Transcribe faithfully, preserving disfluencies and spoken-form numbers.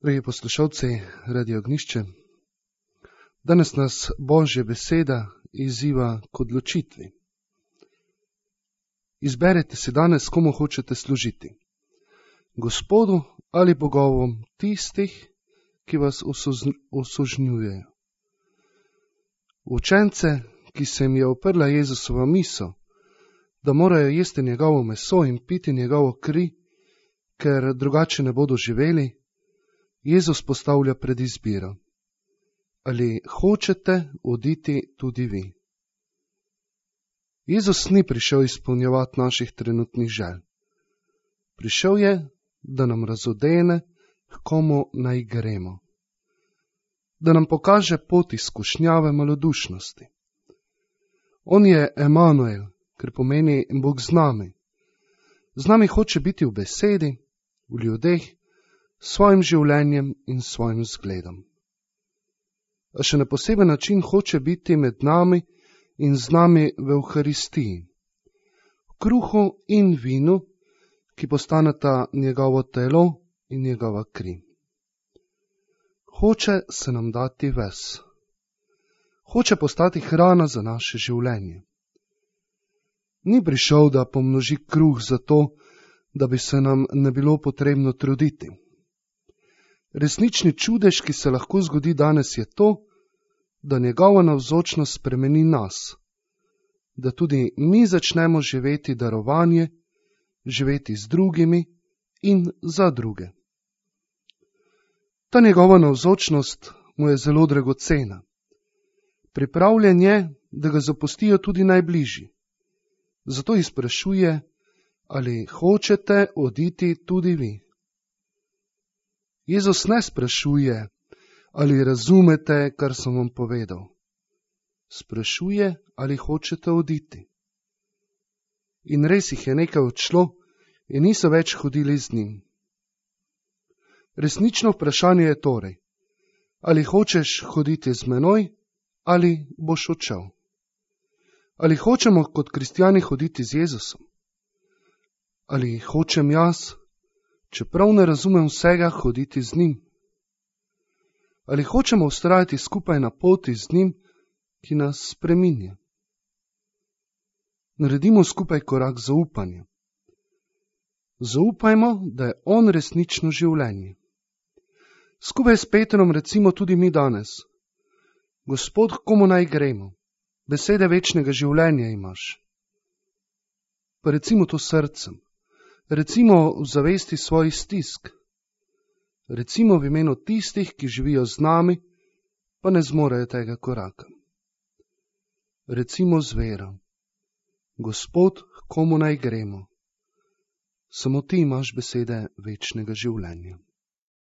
Dragi poslušalci Radia Ognjišče, danes nas Božja beseda izziva k odločitvi. Izberite si danes, komu hočete služiti. Gospodu ali bogovom tistih, ki vas osužnjujejo. Učence, ki se jim je uprla Jezusova misel, da morajo jesti njegovo meso in piti njegovo kri, ker drugače ne bodo živeli, Jezus postavlja pred izbiro. Ali hočete oditi tudi vi? Jezus ni prišel izpolnjevati naših trenutnih želj. Prišel je, da nam razodene, k komu naj gremo. Da nam pokaže pot izkušnjave malodušnosti. On je Emanuel, ker pomeni Bog z nami. Z nami hoče biti v besedi, v ljudeh, svojim življenjem in svojim zgledom. A še na poseben način hoče biti med nami in z nami v Evharistiji, v kruhu in vinu, ki postaneta njegovo telo in njegova kri. Hoče se nam dati ves. Hoče postati hrana za naše življenje. Ni prišel, da pomnoži kruh zato, da bi se nam ne bilo potrebno truditi. Resnični čudež, ki se lahko zgodi danes, je to, da njegova navzočnost spremeni nas, da tudi mi začnemo živeti darovanje, živeti z drugimi in za druge. Ta njegova navzočnost mu je zelo dragocena. Pripravljen je, da ga zapustijo tudi najbližji. Zato jih sprašuje, ali hočete oditi tudi vi. Jezus ne sprašuje, ali razumete, kar sem vam povedal. Sprašuje, ali hočete oditi. In res jih je nekaj odšlo in niso več hodili z njim. Resnično vprašanje je torej, ali hočeš hoditi z menoj, ali boš odšel. Ali hočemo kot kristjani hoditi z Jezusom? Ali hočem jaz, čeprav ne razumem vsega, hoditi z njim? Ali hočemo vztrajati skupaj na poti z njim, ki nas spreminja? Naredimo skupaj korak zaupanja. Zaupajmo, da je on resnično življenje. Skupaj s Petrom recimo tudi mi danes: Gospod, komu naj gremo? Besede večnega življenja imaš. Pa recimo to srcem. Recimo v zavesti svojih stisk. Recimo v imenu tistih, ki živijo z nami, pa ne zmorejo tega koraka. Recimo z vero: Gospod, komu naj gremo? Samo ti imaš besede večnega življenja.